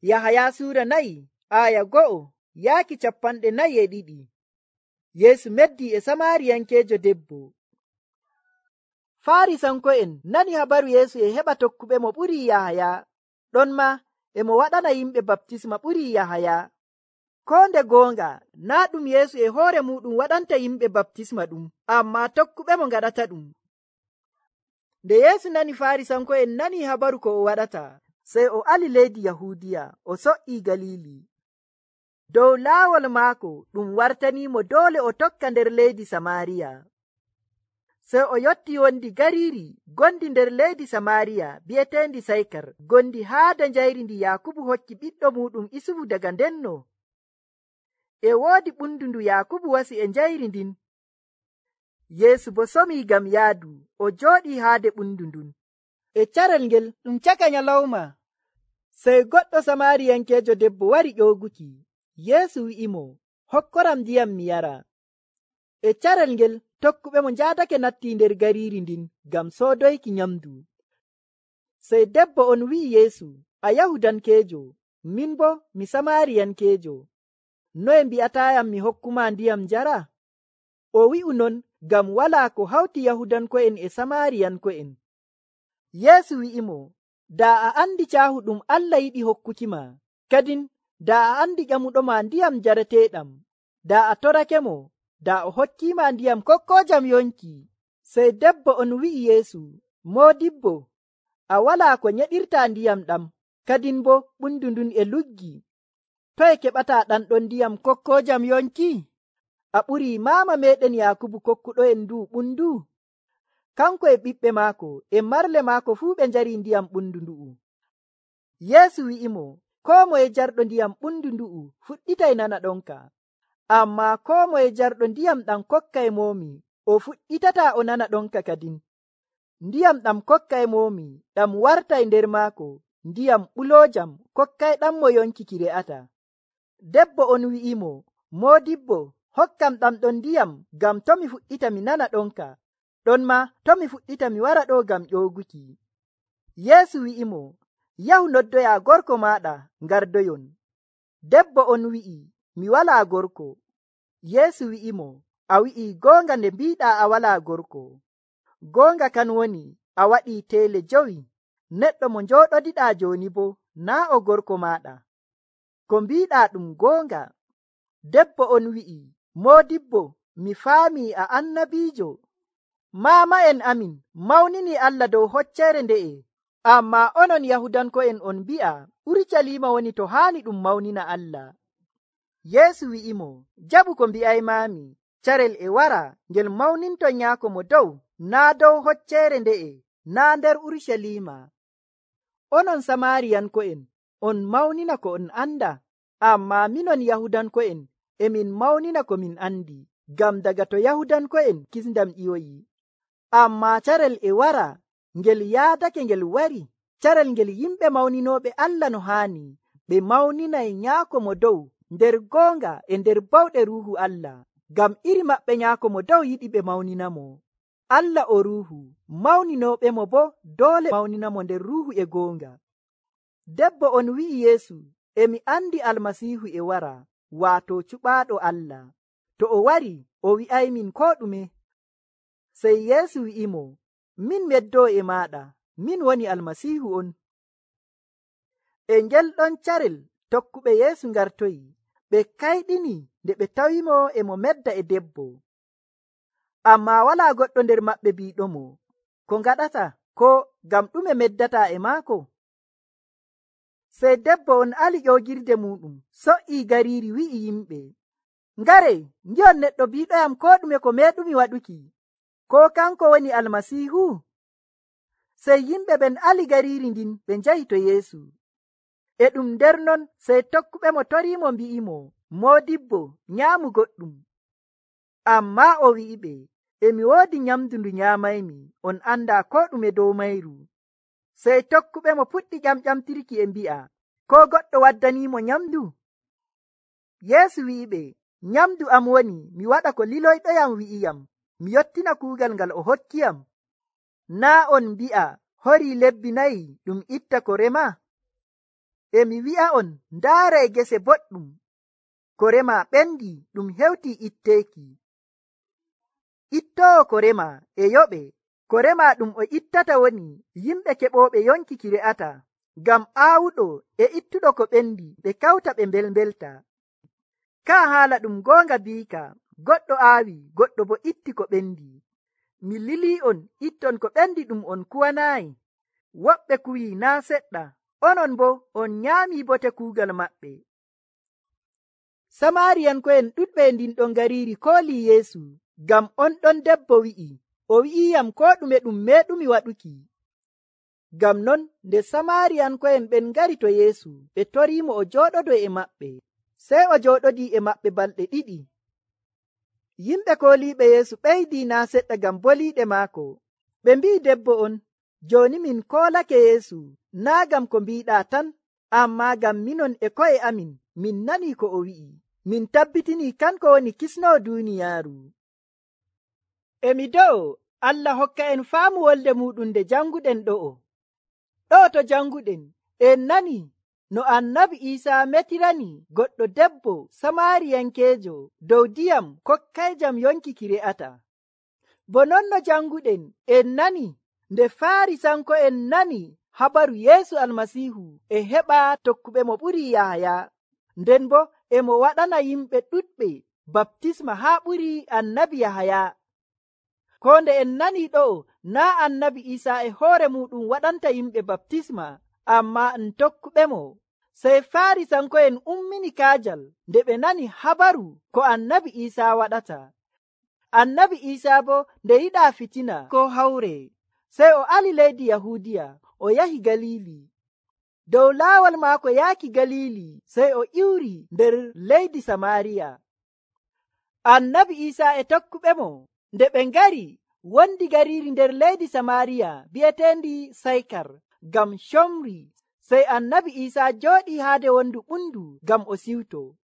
Yahaya suura 4 aya 1 yaaki 42. Yeesu meddi e Samariyankeejo debbo. Farisanko'en nani habaru Yeesu e heɓa tokkuɓe mo ɓurii Yahaya, ɗon ma e mo waɗana yimɓe baptisma ɓurii Yahaya. Koo nde goonga naa ɗum Yeesu e hoore muɗum waɗanta yimɓe baptisma ɗum, ammaa tokkuɓe mo ngaɗata ɗum. Nde Yeesu nani Farisanko'en nani habaru ko o waɗata, sey o ali leydi Yahuudiya o so'ii Galili. Dow laawol maako ɗum wartaniimo doole o tokka nder leydi Samaariya. Sey o yotti wondi gariiri gondi nder leydi Samaariya bi'eteendi Saykar, gondi haada njayri ndi Yaakubu hokki ɓiɗɗo muɗum Isufu daga ndenno. E woodi ɓundundu Yaakubu wasi e njayri ndin. Yeesu bo somii ngam yaadu, o jooɗii haade ɓundundun. E carel ngel ɗum caka nyalawma, sey goɗɗo Samariyankeejo debbo wari ƴooguki. Yeesu wi'imo, hokkoram ndiyam mi yara. E carel ngel tokkuɓe mo njaadake nattii nder gariiri ndin ngam soodoyki nyamdu. Sey debbo on wi'i Yeesu, a Yahudankeejo, min bo mi Samariyankeejo. Noye mbi'ataayam mi hokkumaa ndiyam njara? O wi'u non ngam walaa ko hawti Yahudanko'en e Samariyanko'en. Yeesu wi'imo, daa a andi caahu ɗum Allah yiɗi hokkukima, kadin daa a andi ƴamuɗoma ndiyam njareteeɗam, daa a torake mo, daa o hokkiima ndiyam kokkoojam yonki. Sey debbo on wi'i Yeesu, Moodibbo, a walaa ko nyeɗirtaa ndiyam ɗam, kadin bo ɓundu ndun e luggi. Toye keɓataa ɗan ɗon ndiyam kokkoojam yonki? A ɓurii maama meeɗen Yaakubu kokkuɗo'en ndu ɓundu? Kanko e ɓiɓɓe maako e marle maako fuu ɓe njarii ndiyam ɓundu ndu'u. Yeesu wi'imo, koo moye jarɗo ndiyam ɓundu ndu'u fuɗɗitay nana ɗonka. Ammaa koo moye jarɗo ndiyam ɗam kokkay moomi, o fuɗɗitataa o nana ɗonka kadin. Ndiyam ɗam kokkay moomi ɗam wartay nder maako, ndiyam ɓuloojam kokkayɗam mo yonki ki re'ata. Debbo on wi'imo, Moodibbo, hokkam ɗam ɗon ndiyam ngam to mi fuɗɗita mi nana ɗonka, ɗon ma to mi fuɗɗita mi wara ɗo ngam ƴooguki. Yeesu wi'imo, yahu noddoyaa gorko maaɗa ngardoyon. Debbo on wi'i, mi walaa gorko. Yeesu wi'imo, a wi'ii goonga nde mbiiɗaa a walaa gorko. Goonga kan woni a waɗii teele 5. Neɗɗo mo njooɗodiɗaa jooni bo naa o gorko maaɗa. Ko mbiiɗaa ɗum goonga. Debbo on wi'i, Moodibbo, mi faamii a annabiijo. Maama'en amin mawnini Allah dow hocceere nde'e, ammaa onon Yahudanko'en on mbi'a Urucaliima woni to haani ɗum mawnina Allah. Yeesu wi'imo, jaɓu ko mbi'aymaami, carel e wara ngel mawninton Nyaako mo dow, naa dow hocceere nde'e, naa nder Urucaliima. Onon Samariyanko'en on mawnina ko on anda, ammaa minon Yahudanko'en emin mawnina ko min andi, ngam daga to Yahudanko'en kisndam ƴiwoyi. Ammaa carel e wara ngel yaadake ngel wari, carel ngel yimɓe mawninooɓe Allah no haani, ɓe mawninay Nyaako mo dow nder goonga e nder bawɗe Ruuhu Allah, ngam iri maɓɓe Nyaako mo dow yiɗi ɓe mawninamo. Allah o Ruuhu, mawninooɓe mo bo doole mawninamo nder Ruuhu e goonga. Debbo on wi'i Yeesu, emi andi Almasiihu e wara, waato cuɓaaɗo Allah. To o wari, o wi'aymin koo ɗume. Sey Yeesu wi'imo, min meddoo e maaɗa, min woni Almasiihu on. E ngel ɗon carel tokkuɓe Yeesu ngartoyi, ɓe kayɗini nde ɓe tawimo e mo medda e debbo. Ammaa walaa goɗɗo nder maɓɓe biiɗomo, ko ngaɗata, ko ngam ɗume meddataa e maako? Sey debbo on ali ƴoogirde muɗum, so'ii gariiri wi'i yimɓe, ngare, ngi'on neɗɗo biiɗoyam koo ɗume ko meeɗumi waɗuki, ko kanko woni Almasiihu? Sey yimɓe ɓen ali gariiri ndin ɓe njahi to Yeesu. E ɗum nder non sey tokkuɓe mo toriimo mbi'imo, Moodibbo, nyaamu goɗɗum. Ammaa o wi'iɓe, emi woodi nyamdu ndu nyaamaymi, on andaa koo ɗume dow mayru. Sey tokkuɓe mo puɗɗi ƴamƴamtirki e mbi'a, ko goɗɗo waddaniimo nyamdu? Yeesu wi'iɓe, nyamdu am woni mi waɗa ko liloyɗoyam wi'iyam, mi yottina kuugal ngal o hokkiyam. Naa on mbi'a, horii lebbi 4 ɗum itta ko rema? emi wi'a'on ndaaray gese boɗɗum ko rema ɓendi ɗum hewti itteeki. Ittoowo ko rema e yoɓe, ko rema ɗum o ittata woni yimɓe keɓooɓe yonki ki re'ata, ngam aawuɗo e ittuɗo ko ɓendi ɓe kawta ɓe mbelmbelta. Kaa haala ɗum goonga biika, goɗɗo aawi, goɗɗo bo itti ko ɓendi. Mi lilii'on itton ko ɓendi ɗum on kuwanaayi. Woɓɓe kuwii naa seɗɗa, onon bo on nyaamii bote kuugal maɓɓe. Samaariyanko'en ɗuɗɓe e ndin ɗon gariiri koolii Yeesu, ngam on ɗon debbo wi'i, o wi'iyam koo ɗume ɗum meeɗumi waɗuki. Ngam non nde Samaariyanko'en ɓen ngari to Yeesu, ɓe toriimo o jooɗodoo e maɓɓe. Sey o jooɗodii e maɓɓe balɗe 2. Yimɓe kooliiɓe Yeesu ɓeydii naa seɗɗa ngam boliiɗe maako. Ɓe mbi'i debbo on, jooni min koolake Yeesu, naa ngam ko mbiiɗaa tan, ammaa ngam minon e ko'e amin min nanii ko o wi'i. Min tabbitinii kanko woni kisnoowo duuniyaaru. Emi do'o Allah hokka en faamu wolde muɗum nde janguɗen ɗo'o. Ɗo'o to janguɗen en nani no annabi Iisaa metirani goɗɗo debbo Samaariyankeejo dow ndiyam kokkayjam yonki ki re'ata. Bo non no janguɗen en nani nde Faarisanko'en nani habaru Yeesu Almasiihu e heɓa tokkuɓe mo ɓuri Yahaya, nden bo e mo waɗana yimɓe ɗuɗɓe baptisma haa ɓuri annabi Yahaya. Ko nde en nani ɗo'o naa annabi Iisaa e hoore muɗum waɗanta yimɓe baptisma, ammaa en tokkuɓe mo. Sey Faarisanko'en ummini kaajal nde ɓe nani habaru ko annabi Iisaa waɗata. Annabi Iisaa bo nde yiɗaa fitina ko hawre, sey o ali leydi Yahuudiya o yahi Galiili. Dow laawol maako yaaki Galiili sey o iwri nder leydi Samaariya. Annabi Iisaa e tokkuɓe mo nde ɓe ngari wondi gariiri nder leydi Samaariya bi'eteendi Saykar ngam comri. Sey annabi Iisaa jooɗii haade wondu ɓundu ngam o siwto.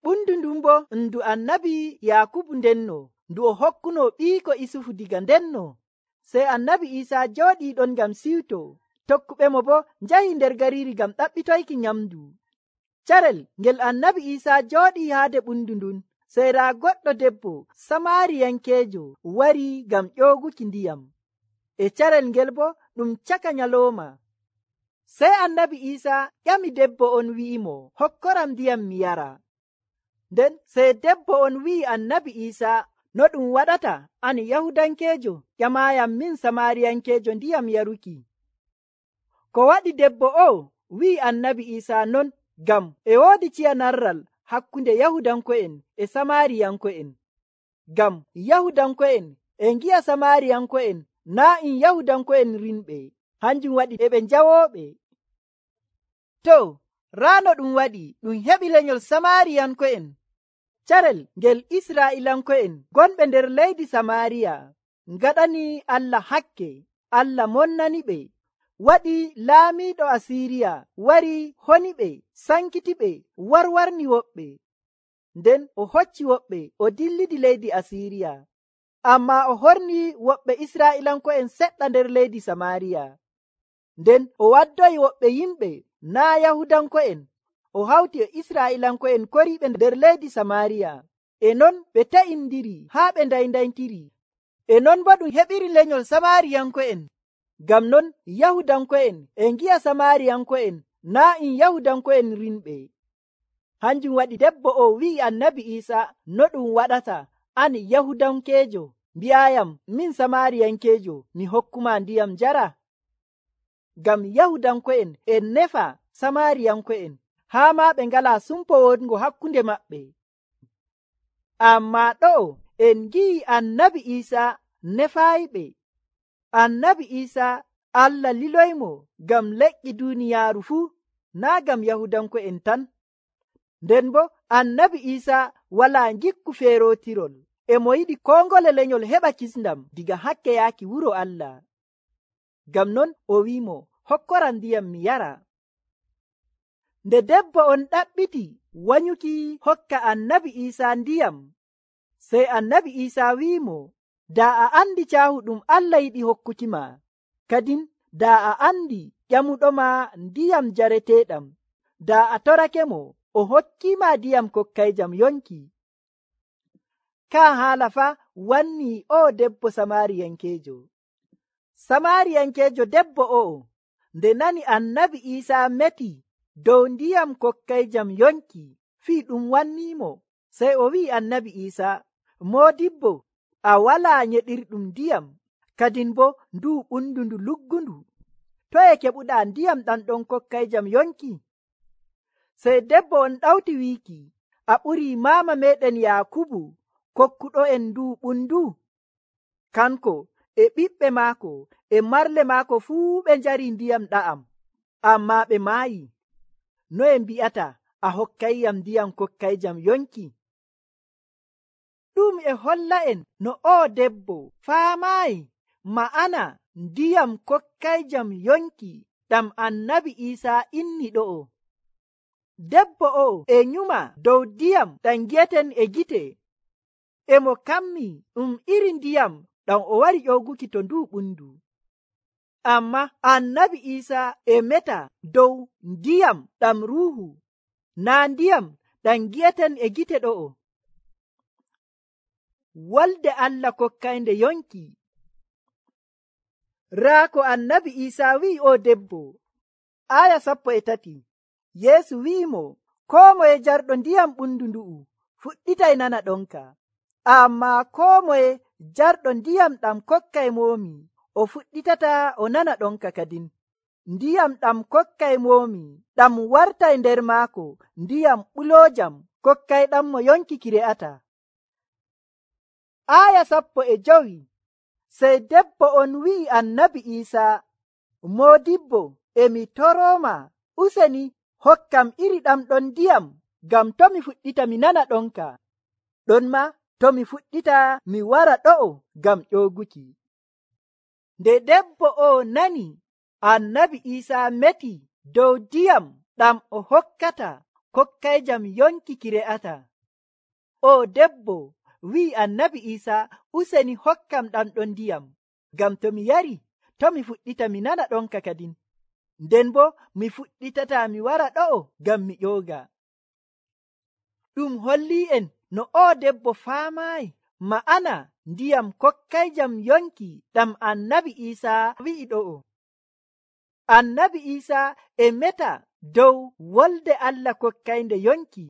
Ɓundu ndun bo ndu annabi Yaakubu ndenno, ndu o hokkuno ɓiiko Isufu diga ndenno. Sey annabi Iisaa jooɗii ɗon ngam siwto. Tokkuɓe mo bo njahi nder gariiri ngam ɗaɓɓitoyki nyamdu. Carel ngel annabi Iisaa jooɗii haade ɓundu ndun, sey raa goɗɗo debbo Samaariyankeejo wari ngam ƴooguki ndiyam. E carel ngel bo ɗum caka nyalooma. Sey annabi Iisaa ƴami debbo on wi'imo, hokkoram ndiyam mi yara. Nden sey debbo on wi'i annabi Iisaa, no ɗum waɗata an Yahudankeejo ƴamaayam min Samaariyankeejo ndiyam yaruki. Ko waɗi debbo o wi'i annabi Iisaa non ngam e woodi ciyanarral hakkunde Yahudanko'en e Samaariyanko'en. Ngam Yahudanko'en e ngi'a Samaariyanko'en naa in Yahudanko'en rinɓe, hanjum waɗi e ɓe njawooɓe. To, raa no ɗum waɗi ɗum heɓi lenyol Samaariyanko'en. Carel ngel Israa'iilanko'en gonɓe nder leydi Samaariya ngaɗani Allah hakke, Allah monnaniɓe. Waɗi laamiiɗo Asiiriya wari honiɓe, sankitiɓe, warwarni woɓɓe. Nden o hocci woɓɓe o dillidi leydi Asiiriya. Ammaa o horni woɓɓe Israa'iilanko'en seɗɗa nder leydi Samaariya. Nden o waddoyi woɓɓe yimɓe naa Yahudanko'en, o hawti e Israa'iilanko'en koriiɓe nder leydi Samaariya. E non ɓe ta'indiri haa ɓe ndayndaytiri. E non bo ɗum heɓiri lenyol Samaariyanko'en. Ngam non Yahudanko'en e ngi'a Samaariyanko'en naa in Yahudanko'en rinɓe. Hanjum waɗi debbo o wi'i annabi Iisaa, no ɗum waɗata an Yahudankeejo mbi'aayam min Samaariyankeejo mi hokkuma ndiyam jara? Ngam Yahudanko'en en nefa Samaariyanko'en haa ma ɓe ngalaa sumpo wongo hakkunde maɓɓe. Ammaa ɗo'o en ngi'i annabi Iisaa nefaayiɓe. Annabi Iisaa Allah liloymo ngam leƴƴi duuniyaaru fuu, naa ngam Yahudanko'en tan. Nden bo annabi Iisaa walaa ngikku feerootirol, e mo yiɗi koo ngole lenyol heɓa kisndam diga hakke yaaki wuro Allah. Ngam non o wi'imo, hokkoram ndiyam mi yara. Nde debbo on ɗaɓɓiti wanyuki hokka annabi Iisaa ndiyam, sey annabi Iisaa wi'imo, daa a andi caahu ɗum Allah yiɗi hokkukima, kadin daa a andi ƴamuɗoma ndiyam jareteeɗam, daa a torake mo o hokkima ndiyam kokkayjam yonki. Ka haala fa wanni o debbo samariyankeejo debbo o'o nde nani annabi Isa meti dow ndiyam kokkayjam yonki fii ɗum wannimo, sey o wi'i annabi Isa, modibbo, a wala nyeɗirɗum ndiyam, kadin bo ndu ɓundu ndu luggundu, toye keɓuɗa ndiyam ɗam ɗon kokkayjam yonki? Sey debbo on ɗawti wiiki, a ɓuri maama meɗen Yakubu kokkuɗo'en ndu ɓundu. Kanko e ɓiɓɓe maako e marle maako fuu ɓe njari ndiyam ɗa'am, amma ɓe maayi. Noye mbi'ata a hokkayyam ndiyam kokkayjam yonki? Ɗum e holla'en no o debbo faamaayi ma'ana ndiyam kokkayjam yonki ɗam annabi Isa inni ɗo'o. Debbo o'o e nyuma dow ndiyam ɗam gi'eten e gite, e mo kammi iri ndiyam ɗam o wari ƴoguki to ndu ɓundu. Amma annabi Isa e meta dow ndiyam ɗam ruuhu, naa ndiyam ɗam gi'eten e gite ɗo'o. Wolde Allah kokkaynde yonki. Raa ko annabi Isa wi'i o debbo. Aya 13 Yeesu wi'imo, koo moye jarɗo ndiyam ɓundu ndu'u fuɗɗitay nana ɗonka, amma koo moye jarɗo ndiyam ɗam kokkay moomi o fuɗɗitata o nana ɗonka kadin. Ndiyam ɗam kokkay moomi ɗam wartay nder maako ndiyam ɓuloojam kokkayɗam mo yonki ki re'ata. Aya 15 Sey debbo on wi'i annabi Isa, modibbo, emi toroma, useni hokkam iri ɗam ɗon ndiyam, ngam to mi fuɗɗita mi nana ɗonka, ɗon ma to mi fuɗɗita mi wara ɗo'o ngam ƴoguki. Nde debbo o nani annabi Isa meti dow ndiyam ɗam o hokkata kokkayjam yonki ki re'ata, o debbo wi'i annabi Isa, useni hokkam ɗam ɗon ndiyam, ngam to mi yari to mi fuɗɗita mi nana ɗonka kadin, nden bo mi fuɗɗitata mi wara ɗo'o ngam mi ƴoga. Ɗum holli en no o debbo faamaayi ma'ana ndiyam kokkayjam yonki ɗam annabi Isa wi'i ɗo'o. Annabi Isa e meta dow wolde Allah kokkaynde yonki.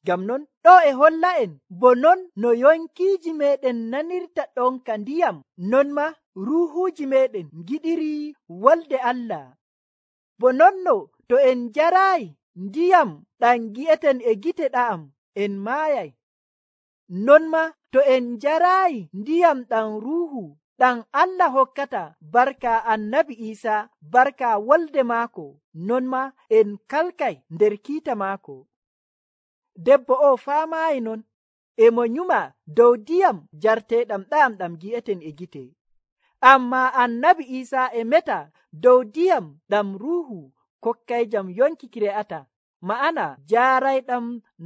Ngam non ɗo e holla en bo non no yonkiiji meɗen nanirta ɗonka ndiyam, non ma ruuhuuji meɗen giɗiri wolde Allah. Bo nonno to en jaraayi ndiyam ɗam gi'eten e gite ɗa'am en maayay. Non ma to en jaraayi ndiyam ɗam ruuhu ɗam Allah hokkata barka annabi Isa, barka wolde maako, non ma en kalkay nder kiita maako. Debbo o faamaayi non e mo nyuma dow ndiyam jarteeɗam ɗam gi'eten e gite. Amma annabi Isa e meta dow ndiyam ɗam ruuhu kokkayjam yonki ki re'ata, ma'ana jaarayɗam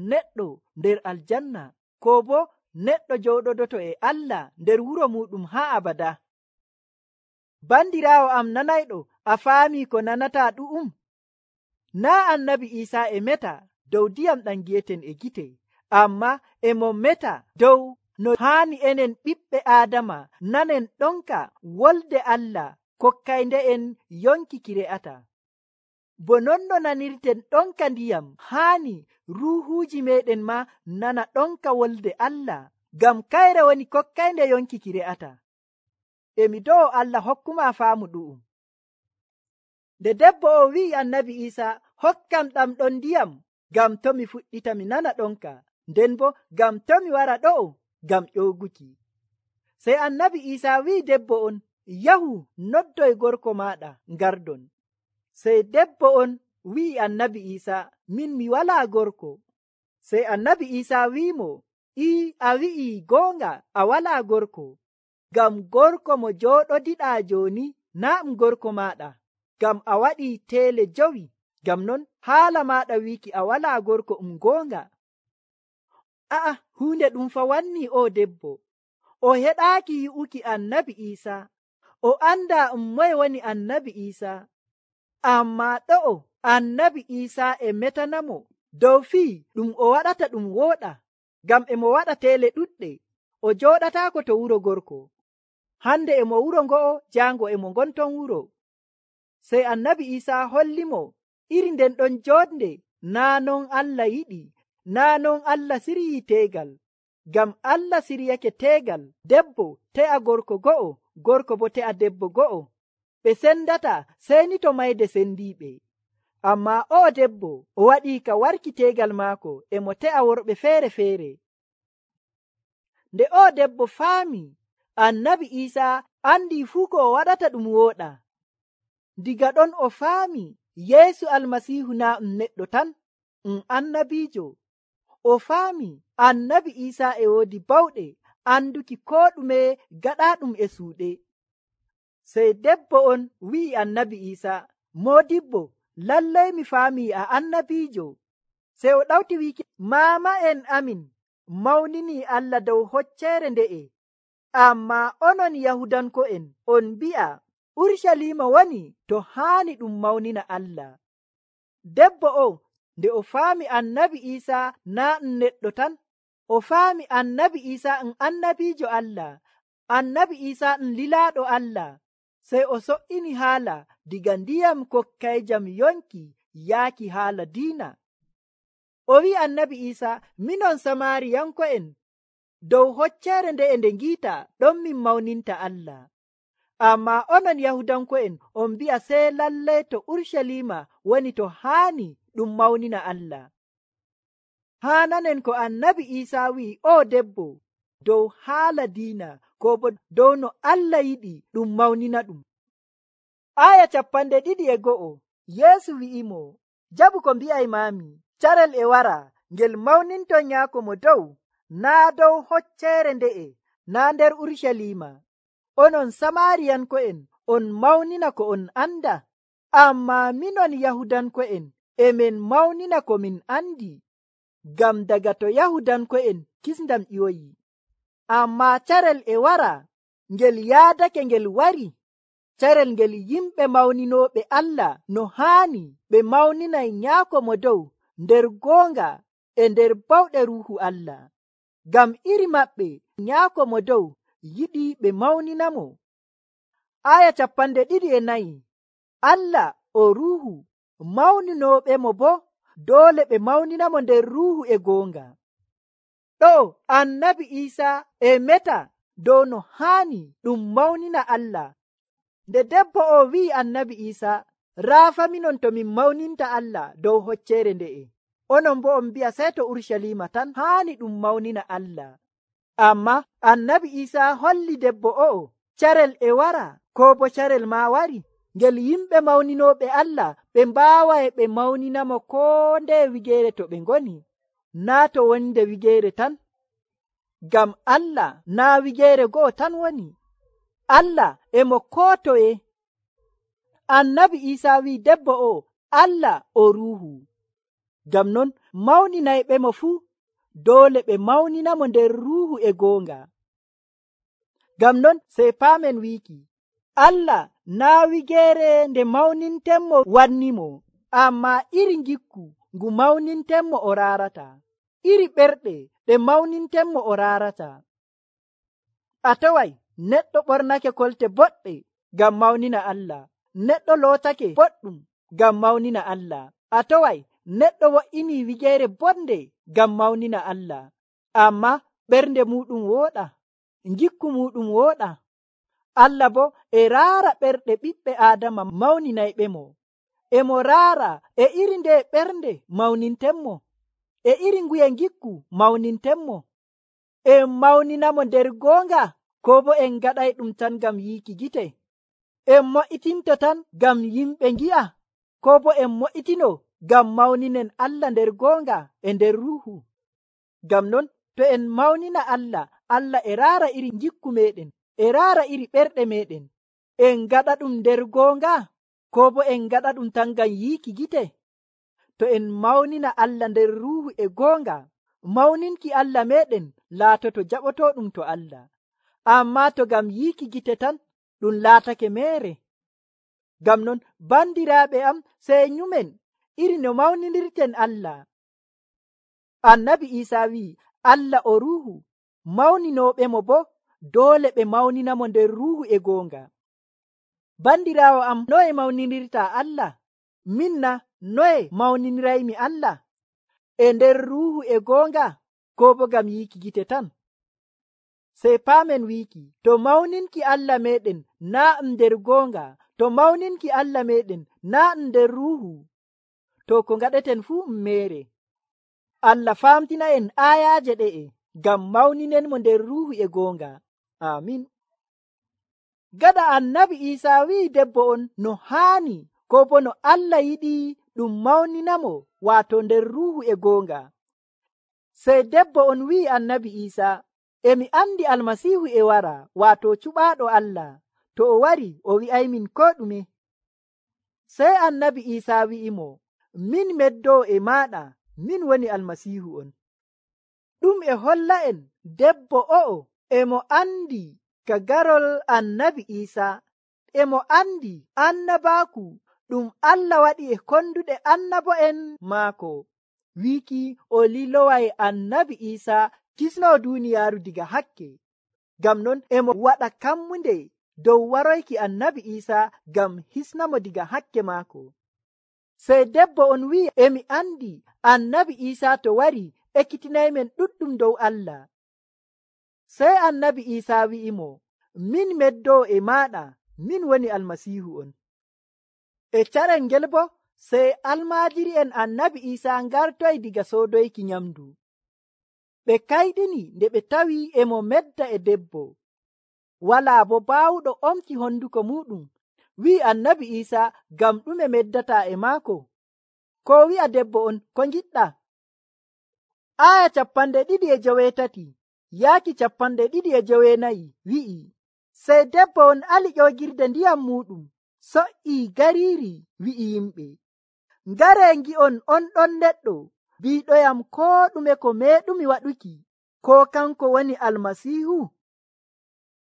neɗɗo nder aljanna, ko bo neɗɗo jooɗodoto e Allah nder wuro muɗum haa abada. Bandiraawo am nanayɗo, a faami ko nanata ɗu'um? Naa annabi Isa e meta dow ndiyam ɗam gi'eten e gite, amma e mo meta dow no haani enen ɓiɓɓe Aadama nanen ɗonka wolde Allah kokkaynde en yonki ki re'ata. Bo non no nanirten ɗonka ndiyam, haani ruuhuuji meɗen ma nana ɗonka wolde Allah, ngam kayre woni kokkaynde yonki ki re'ata. Emi do'o Allah hokkuma faamu ɗu'um. Nde debbo o wi'i annabi Isa, hokkam ɗam ɗon ndiyam, ngam to mi fuɗɗita mi nana ɗonka, nden bo ngam to mi wara ɗo'o ngam ƴoguki. Sey annabi Isa wi'i debbo on, yahu noddoy gorko maɗa ngardon. Sey debbo on wi'i annabi Isa, min mi walaa gorko. Sey annabi Isa wi'imo, a wi'i goonga, a walaa gorko, ngam gorko mo jooɗodiɗa jooni naa gorko maɗa, ngam a waɗi teele 5, ngam non haala maɗa wiiki a walaa gorko goonga. Hunde ɗum fa wanni o debbo o heɗaaki yi'uki annabi Isa, o anda moye woni annabi Isa, Ammaa ɗo'o annabi Iisaa e metanamo dow fii ɗum o waɗata ɗum wooɗa, ngam e mo waɗa teele ɗuɗɗe. O jooɗataako to wuro gorko. Hande e mo wuro ngo'o, jaango e mo ngonton wuro. Sey annabi Iisaa hollimo iri nden ɗon jooɗnde naa non Allah yiɗi, naa non Allah siryii teegal. Ngam Allah siryake teegal, debbo te'a gorko go'o, gorko bo te'a debbo go'o. Ɓe sendata sey ni to mayde sendiiɓe. Ammaa o'o debbo o waɗii ka warki teegal maako e mo te'a worɓe feere-feere. Nde o'o debbo faami annabi Iisaa andii fuu ko o waɗata ɗum wooɗa. Diga ɗon o faami Yeesu Almasiihu naa neɗɗo tan, annabiijo. O faami annabi Iisaa e woodi bawɗe anduki koo ɗume gaɗaaɗum e suuɗe. Sey debbo on wi'i annabi Iisaa, moodibbo, lallay mi faami a annabiijo. Sey o ɗawti wiiki, maama'en amin mawninii Allah dow hocceere nde'e, ammaa onon Yahudanko'en on mbi'a Urucaliima woni to haani ɗum mawnina Allah. Debbo o nde o faami annabi Iisaa naa neɗɗo tan, o faami annabi Iisaa annabiijo Allah, annabi Iisaa lilaaɗo Allah. Sey o so'ini haala diga ndiyam kokkayjam yonki yaaki haala diina. O wi'i annabi Iisaa, minon Samaariyanko'en dow hocceere nde e nde ngiita ɗon min mawninta Allah. Ammaa onon Yahudanko'en on mbi'a sey lallay to Urucaliima woni to haani ɗum mawnina Allah. Haananen ko annabi Iisaa wi'i o debbo dow haala diina, ko bo dow no Allah yiɗi ɗum mawnina ɗum. Aya 21 Yeesu wi'imo, jabu ko mbi'aymaami, carel e wara ngel mawninton nyaako mo dow, naa dow hocceere nde'e, naa nder Urucaliima. Onon Samaariyanko'en on mawnina ko on anda, ammaa minon Yahudanko'en e min mawnina ko min andi, ngam daga to Yahudanko'en kisndam ƴiwoyi. Ammaa carel e wara ngel yaadake ngel wari, carel ngel yimɓe mawninooɓe Allah no haani ɓe mawninay nyaako mo dow nder goonga e nder bawɗe Ruuhu Allah. Ngam iri maɓɓe nyaako mo dow yiɗi ɓe mawninamo. Aya 24 Allah o Ruuhu, mawninooɓe mo bo doole ɓe mawninamo nder Ruuhu e goonga. Ɗo annabi Iisaa e meta dow no haani ɗum mawnina Allah. Nde debbo o wi'i annabi Iisaa, raafaminon to min mawninta Allah dow hocceere nde'e, onon bo on mbi'a sey to Urucaliima tan haani ɗum mawnina Allah. Amma annabi Iisaa holli debbo o'o carel e wara, ko bo carel maa wari, ngel yimɓe mawninooɓe Allah ɓe mbaaway ɓe mawninamo koo nde wigeere to ɓe ngoni, naa to wonde wigeere tan. Ngam Allah naa wigeere go'o tan woni, Allah e mo koo toye. Annabi Iisaa wi'i debbo o, Allah o Ruuhu. Ngam non mawninayɓe mo fuu doole ɓe mawninamo nder Ruuhu e goonga. Ngam non sey paamen wiiki, Allah naa wigeere nde mawnintenmo wannimo, ammaa iri ngikku ngu mawnintenmo o raarata, iri ɓerɗe ɗe mawnintenmo o raarata. A taway neɗɗo ɓornake kolte boɗɗe ngam mawnina Allah, neɗɗo lootake boɗɗum ngam mawnina Allah. A taway neɗɗo wo'ini wigeere bonde ngam mawnina Allah, amma ɓernde muɗum wooɗa, ngikku muɗum wooɗa. Allah bo e raara ɓerɗe ɓiɓɓe Aadama mawninayɓe mo, e mo raara e iri nde ɓernde mawnintenmo, e iri nguye ngikku mawnintenmo. En mawninamo nder goonga, ko bo en gaɗay ɗum tan ngam yiiki gite? En mo'itinto tan ngam yimɓe ngi'a, ko bo en mo'itino ngam mawninen Allah nder goonga e nder Ruuhu? Ngam non to en mawnina Allah, Allah e raara iri ngikku meɗen, e raara iri ɓerɗe meɗen. En gaɗa ɗum nder goonga, ko bo en gaɗa ɗum tan ngam yiiki gite? To en mawnina Allah nder Ruuhu e goonga, mawninki Allah meɗen laatoto jaɓotoɗum to Allah. Ammaa to ngam yiiki gite tan, ɗum laatake meere. Ngam non bandiraaɓe am, sey nyumen iri no mawninirten Allah. Annabi Isaa wi'i Allah o ruuhu, mawninooɓemo bo doole ɓe mawninamo nder ruuhu e goonga. Bandiraawo am, noye mawninirtaa Allah? Minna noye mawniniraymi Allah? E nder ruuhu e goonga, ko bo ngam yiiki gite tan? Sey paamen wiiki, to mawninki Allah meɗen naa nder goonga, to mawninki Allah meɗen naa nder ruuhu, to ko ngaɗeten fuu meere. Allah famtina en aayaaje ɗe'e ngam mawninen mo nder ruuhu e goonga. Amin. Gaɗa Annabi Isaa wi'i debbo on no haani, ko bo no Allah yiɗi ɗum mawninamo, waato nder ruuhu e goonga. Sey debbo on wi'i Annabi Isaa, emi andi Almasiihu e wara, waato cuɓaaɗo Allah. To o wari o wi'aymin ko ɗume. Sey Annabi Isaa wi'imo, min meddoo e maaɗa, min woni Almasiihu on. Ɗum e holla en debbo o'o emo andi ka garol Annabi Isaa, emo andi annabaaku ɗum Allah waɗi e konduɗe annabo'en maako, wiiki o liloway Annabi Isaa kisnoo duuniyaaru diga hakke. Ngam non emo waɗa kammunde dow waroyki Annabi Isaa ngam hisnamo diga hakke maako. Sey debbo on wi'i, emi andi Annabi Isaa to wari ekkitinaymen ɗuɗɗum dow Allah. Sey Annabi Isaa wi'imo, min meddoo e maaɗa, min woni Almasiihu on. E carel ngel bo sey almaajiri'en Annabi Isaa ngartoy diga soodoyki nyamdu. Ɓe kayɗini nde ɓe tawi emo medda e debbo. Walaa bo baawuɗo omti honduko muɗum, wi'i Annabi Isaa, ngam ɗume meddataa e maako? Ko wi'a debbo on, ko ngiɗɗa? Aya 2:23 yaaki 2:24 wi'i, sey debbo on ali ƴoogirde ndiyam muɗum, so'ii gariiri, wi'i yimɓe, ngare ngi'on on ɗon neɗɗo biiɗoyam ko ɗume ko meeɗumi waɗuki, ko kanko woni Almasiihu?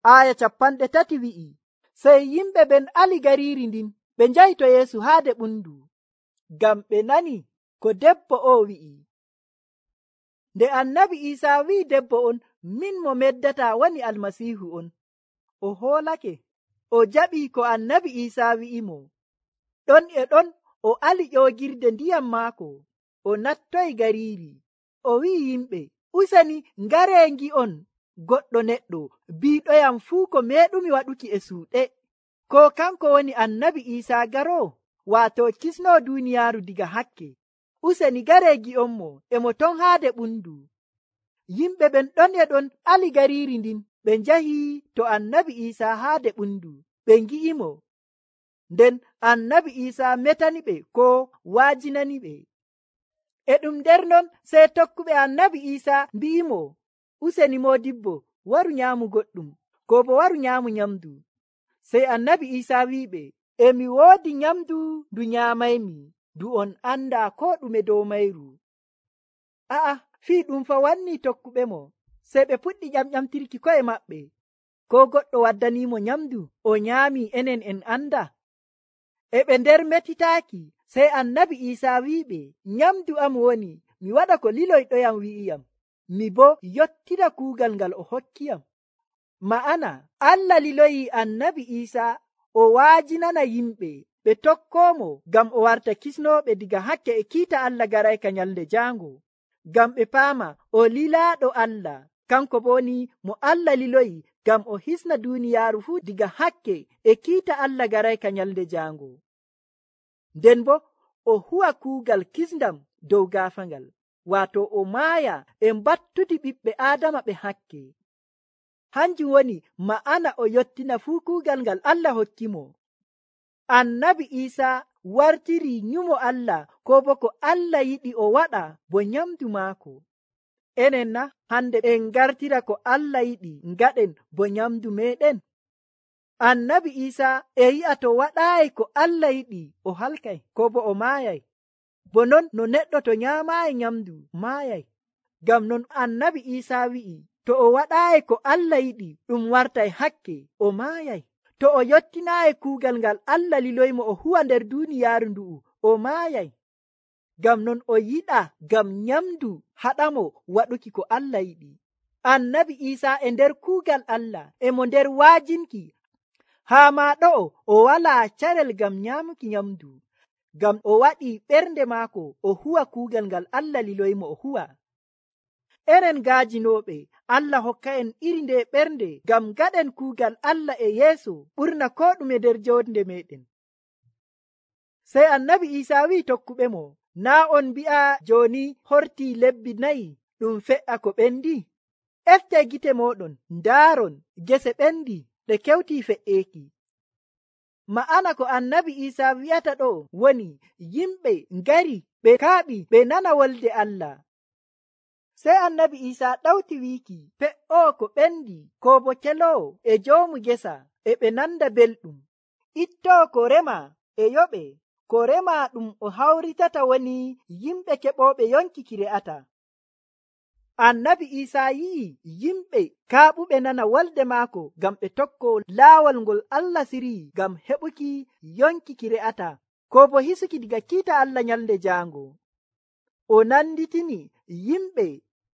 Aya 30 wi'i, sey yimɓe ɓen ali gariiri ndin, ɓe njahi to Yeesu haade ɓundu, ngam ɓe nani ko debbo o wi'i. Nde Annabi Isaa wi'i debbo on, min mo meddataa woni Almasiihu on, o hoolake, o jaɓii ko Annabi Isaa wi'imo. Ɗon e ɗon o ali ƴoogirde ndiyam maako, o nattoy gariiri, o wi'i yimɓe, useni ngaree ngi'on goɗɗo neɗɗo biiɗoyam fuu ko meeɗumi waɗuki e suuɗe, ko kanko woni Annabi Isaa garoo, waato kisnoo duuniyaaru diga hakke. Useni garee gi'onmo, emo ton haade ɓundu. Yimɓe ɓen ɗon e ɗon ali gariiri ndin, ɓe njahi to Annabi Isaa haade ɓundu, ɓe ngi'imo. Nden Annabi Isaa metani ɓe ko waajinani ɓe. E ɗum nder non sey tokkuɓe Annabi Isaa mbi'imo, useni moodibbo, waru nyaamu goɗɗum, ko bo waru nyaamu nyamdu. Sey Annabi Isaa wi'iɓe, emi woodi nyamdu ndu nyaamaymi, ndu on andaa ko ɗume dow mayru. Fii ɗum fa wanni tokkuɓe mo, sey ɓe puɗɗi ƴamƴamtirki ko'e maɓɓe, ko goɗɗo waddanimo nyamdu o nyaami enen en anda. E ɓe nder metitaaki, sey Annabi Isaa wi'iɓe, nyamdu am woni mi waɗa ko liloyɗoyam wi'iyam, mi bo yottida kuugal ngal o hokkiyam. Ma'ana Allah liloyi Annabi Isaa o waajinana yimɓe ɓe tokkoomo ngam o warta kisnooɓe diga hakke e kiita Allah garayka nyalde jaango, ngam ɓe paama o lilaaɗo Allah, kanko bo ni mo Allah liloyi ngam o hisna duuniyaaru fuu diga hakke e kiita Allah garayka nyalde jaango. Nden bo o huwa kuugal kisndam dow gaafangal, waato o maaya e mbattude ɓiɓɓe Aadama ɓe hakke. Hanjum woni ma'ana o yottina fuu kuugal ngal Allah hokkimo. Annabi Isaa wartiri nyumo Allah, ko bo ko Allah yiɗi o waɗa bo nyamdu maako. Enen na hande en gartira ko Allah yiɗi ngaɗen bo nyamdu meɗen. Annabi Isaa e yi'a to waɗaayi ko Allah yiɗi o halkay, ko bo o maayay. Bo non no neɗɗo to nyaamaayi nyamdu maayay. Ngam non Annabi Isaa wi'i, to o waɗaayi ko Allah yiɗi ɗum wartay hakke, o maayay. to o yottinaayi kuugal ngal Allah liloymo o huwa nder duuniyaaru ndu'u, o maayay. Ngam non o yiɗa ngam nyamdu haɗamo waɗuki ko Allah yiɗi. Annabi Iisaa e nder kuugal Allah e mo nder waajinki, haa maa ɗo'o o walaa carel ngam nyaamuki nyamdu, ngam o waɗi ɓernde maako o huwa kuugal ngal Allah liloymo o huwa. Enen gaajinooɓe, Allah hokka en iri nde ɓernde ngam gaɗen kuugal Allah e yeeso ɓurna ko ɗume nder jonde meɗen. Sey Annabi Iisaa wi'i tokkuɓe mo, naa on mbi'a jooni hortii lebbi 4 ɗum fe'a ko ɓendi? Efte gite mooɗon, ndaaron gese ɓendi ɗe kewtii fe'eeki. Ma'ana ko Annabi Iisaa wi'ata ɗo woni yimɓe ngari ɓe kaaɓi ɓe nana wolde Allah. Sey Annabi Iisaa ɗawti wiiki fe'o ko ɓendi ko bo keloowo e joomu gesa e ɓe nanda belɗum. Ittoo ko rema e yoɓe. Ko rema ɗum o hawritata woni yimɓe keɓooɓe yonki ki re'ata. Annabi Iisaa yi'i yimɓe kaaɓuɓe nana wolde maako ngam ɓe tokko laawol ngol Allah sirii ngam heɓuki yonki ki re'ata ko bo hisuki diga kiita Allah nyalnde jaango. O nanditini yimɓe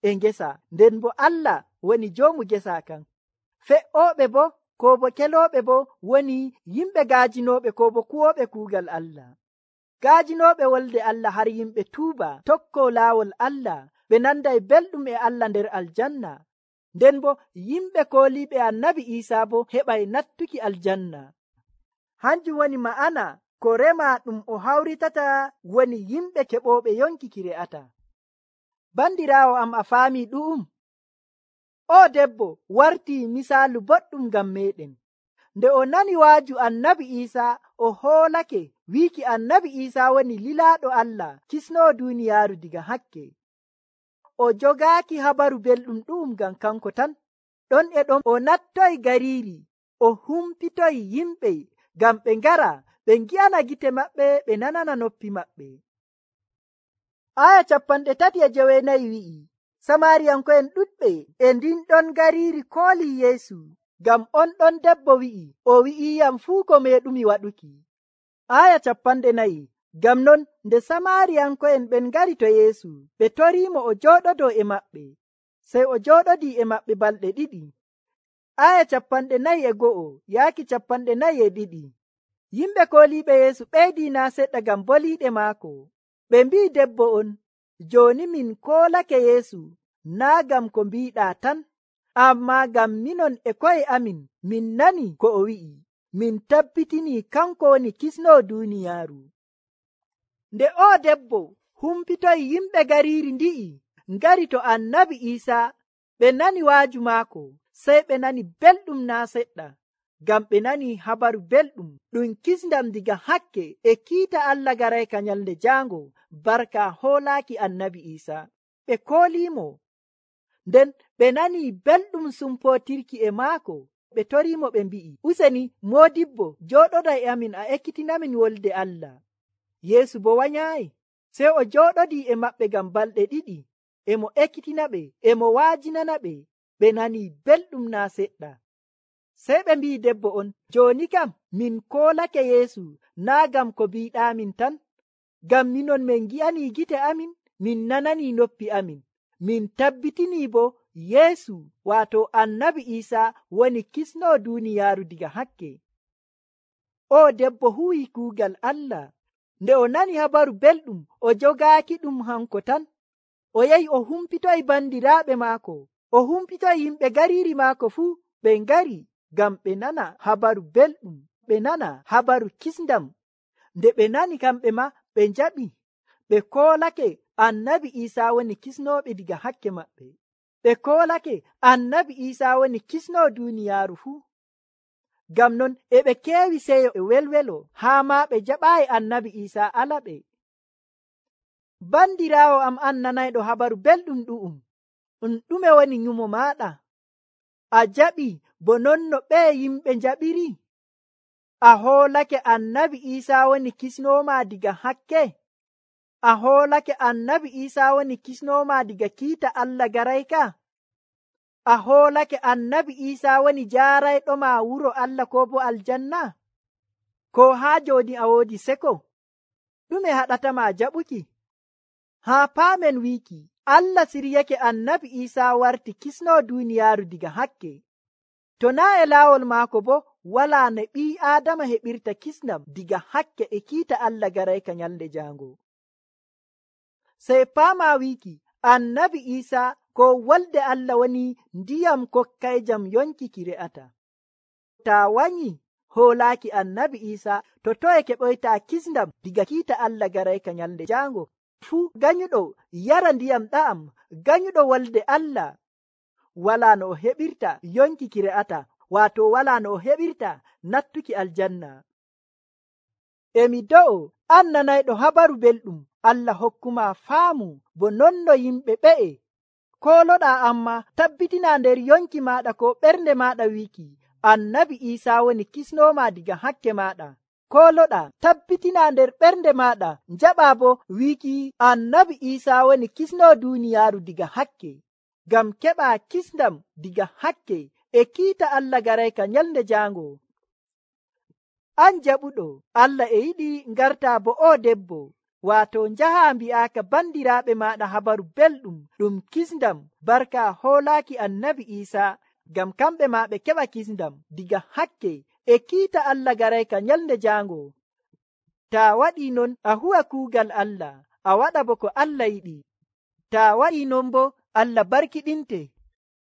e ngesa, nden bo Allah woni joomu gesa kan. Fe'ooɓe bo ko bo kelooɓe bo woni yimɓe gaajinooɓe ko bo kuwooɓe kuugal Allah. Gaajinooɓe wolde Allah har yimɓe tuuba tokko laawol Allah, ɓe nanday belɗum e Allah nder aljanna. Nden bo yimɓe kooliiɓe Annabi Iisaa bo heɓay nattuki aljanna. Hanjum woni ma'ana ko rema ɗum o hawritata woni yimɓe keɓooɓe yonki ki re'ata. Bandiraawo am, a faami ɗu'um? O debbo wartii misaalu boɗɗum ngam meɗen. Nde o nani waaju Annabi Iisaa, o hoolake wiiki Annabi Iisaa woni lilaaɗo Allah kisnoo duuniyaaru diga hakke. O jogaaki habaru belɗum ɗu'um ngam kanko tan. Ɗon e ɗon o nattoy gariiri, o humpitoy yimɓe ngam ɓe ngara ɓe ngi'ana gite maɓɓe, ɓe nanana noppi maɓɓe. Aya 34 wi'i, Samariyanko'en ɗuɗɓe e ndin ɗon gariiri kooli Yeesu, ngam on ɗon debbo wi'i, o wi'iyam fuu ko meeɗumi waɗuki. Aya 40, ngam non nde Samariyanko'en ɓen ngari to Yeesu, ɓe toriimo o jooɗodoo e maɓɓe. Sey o jooɗodii e maɓɓe balɗe 2. Aya 41 yaaki 42. Yimɓe kooliiɓe Yeesu ɓeydii naa seɗɗa ngam boliiɗe maako. Ɓe mbi'i debbo on, jooni min koolake Yeesu naa ngam ko mbiiɗaa tan, ammaa ngam minon e ko'e amin min nani ko o wi'i, min tabbitinii kanko woni kisnoo duuniyaaru. Nde o debbo humpitoyi yimɓe gariiri ndi'i ngari to Annabi Iisaa, ɓe nani waaju maako, sey ɓe nani belɗum naa seɗɗa, ngam ɓe nani habaru belɗum ɗum kisndam diga hakke e kiita Allah garayka nyalnde jaango barka hoolaaki Annabi Iisaa. Ɓe kooliimo, nden ɓe nani belɗum sumpootirki e maako. Ɓe toriimo ɓe mbi'i, useni moodibbo jooɗoɗa e amin a ekkitinamin wolde Allah. Yeesu bo wanyaayi, sey o jooɗodii e maɓɓe ngam balɗe 2, e mo ekkitina ɓe, e mo waajinana ɓe. Ɓe nani belɗum naa seɗɗa. Sey ɓe mbi'i debbo on, jooni kam min koolake Yeesu naa ngam ko mbiiɗaamin tan, ngam minon min ngi'anii gite amin, min nananii noppi amin, min tabbitinii bo Yeesu waato Annabi Iisaa woni kisnoo duuniyaaru diga hakke. O debbo huwi kuugal Allah. Nde o nani habaru belɗum, o jogaaki ɗum hanko tan. O yahi o humpitoyi bandiraaɓe maako, o humpitoyi yimɓe gariiri maako fuu. Ɓe ngari ngam ɓe nana habaru belɗum, ɓe nana habaru kisndam. Nde ɓe nani kamɓe ma, ɓe njaɓi, ɓe koolake Annabi Iisaa woni kisnooɓe diga hakke maɓɓe. Ɓe koolake Annabi Iisaa woni kisnoo duuniyaaru fuu. Ngam non e ɓe keewi seyo e welwelo, haa maa ɓe jaɓaayi Annabi Iisaa alaɓe. Bandiraawo am, an nanayɗo habaru belɗum ɗu'um, ɗume woni nyumo maaɗa? A jaɓi bo non no ɓee yimɓe njaɓiri? A hoolake Annabi Iisaa woni kisnooma diga hakke? A hoolake Annabi Iisaa woni kisnooma diga kiita Allah garayka? a hoolake annabi Iisaa woni jaarayɗoma wuro Allah ko bo aljanna? Ko haa jooni a woodi seko? ɗume haɗatama jaɓuki? Haa paamen wiiki Allah siryake annabi Iisaa warti kisnoo duuniyaaru diga hakke. To naa e laawol maako bo walaa no ɓii Aadama heɓirta kisnam diga hakke e kiita Allah garayka nyalnde jaango. Sey paamaa wiiki annabi Iisaa ko walde Allah woni ndiyam kokkayjam yonki ki re'ata. Taa wanyi hoolaaki annabi Iisaa to toye keɓoytaa kisndam diga kiita Allah garayka nyalnde jaango. Fuu ganyuɗo yara ndiyam ɗa'am, ganyuɗo walde Allah walaa no o heɓirta yonki ki re'ata, waato walaa no o heɓirta nattuki aljanna. Emi do'o an nanayɗo habaru belɗum Allah hokkuma faamu bo nonno yimɓe ɓe'e kooloɗaa amma tabbitina nder yonki maaɗa ko ɓernde maaɗa wiiki annabi Iisaa woni kisnooma diga hakke maaɗa. Kooloɗaa tabbitina nder ɓernde maaɗa njaɓaa bo wiiki annabi Iisaa woni kisnoo duuniyaaru diga hakke, ngam keɓaa kisndam diga hakke e kiita Allah garayka nyalnde jaango. An jaɓuɗo Allah e yiɗi ngartaa bo o debbo, waato njahaa mbi'aaka bandiraaɓe maaɗa habaru belɗum ɗum kisndam barka hoolaaki annabi Iisaa, ngam kamɓe maa ɓe keɓa kisndam diga hakke e kiita Allah garayka nyalnde jaango. Taa waɗii non a huwa kuugal Allah, a waɗa bo ko Allah yiɗi. Taa waɗii non bo Allah barkiɗinte.